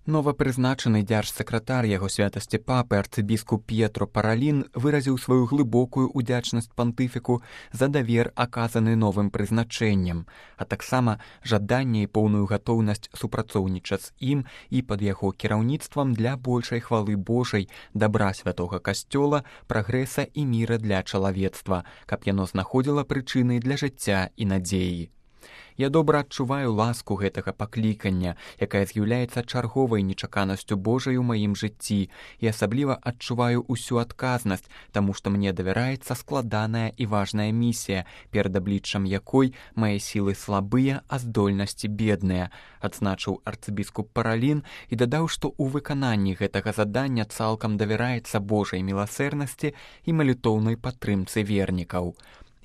Новапрызначаны дзяржсакратар яго святасці папы арцыбіскуп П'етро Паралін выразіў сваю глыбокую ўдзячнасць пантыфіку за давер, аказаны новым прызначэннем, а таксама жаданне і поўную гатоўнасць супрацоўнічаць з ім і пад яго кіраўніцтвам для большай хвалы Божай, дабра святога касцёла, прагрэса і міра для чалавецтва, каб яно знаходзіла прычыны для жыцця і надзеі. Я добра адчуваю ласку гэтага паклікання, якая з'яўляецца чарговай нечаканасцю Божай у маім жыцці, і асабліва адчуваю ўсю адказнасць, таму што мне давяраецца складаная і важная місія, перад абліччам якой мае сілы слабыя, а здольнасці бедныя, адзначыў арцыбіскуп Паралін і дадаў, што ў выкананні гэтага задання цалкам давяраецца Божай міласэрнасці і малітоўнай падтрымцы вернікаў.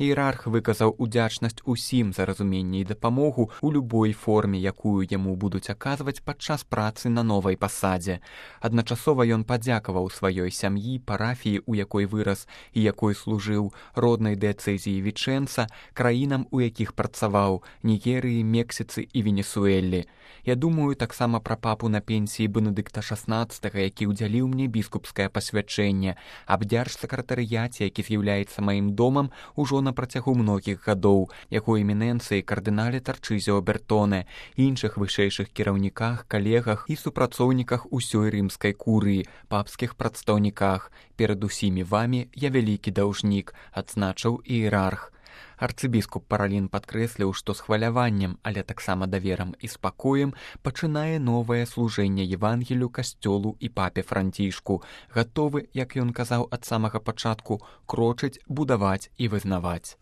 Іерарх выказаў удзячнасць усім за разуменне і дапамогу ў любой форме, якую яму будуць аказваць падчас працы на новай пасадзе. Адначасова ён падзякаваў сваёй сям'і, парафіі, у якой вырас і якой служыў, роднай дыяцэзіі Вічэнца, краінам, у якіх працаваў, Нігерыі, Мексіцы і Венесуэлі. Я думаю таксама пра папу на пенсіі Бенедыкта XVI, які ўдзяліў мне біскупскае пасвячэнне, аб дзяржсакратарыяце, які з'яўляецца маім домам ужо на працягу многіх гадоў, яго эмінэнцыі кардынале Тарчызіо Бертоне, іншых вышэйшых кіраўніках, калегах і супрацоўніках усёй рымскай курыі, папскіх прадстаўніках. Перад усімі вамі я вялікі даўжнік, адзначыў іерарх. Арцыбіскуп Паралін падкрэсліў, што з хваляваннем, але таксама даверам і спакоем пачынае новае служэнне Евангелію, касцёлу і папе Францішку, гатовы, як ён казаў ад самага пачатку, крочыць, будаваць і вызнаваць.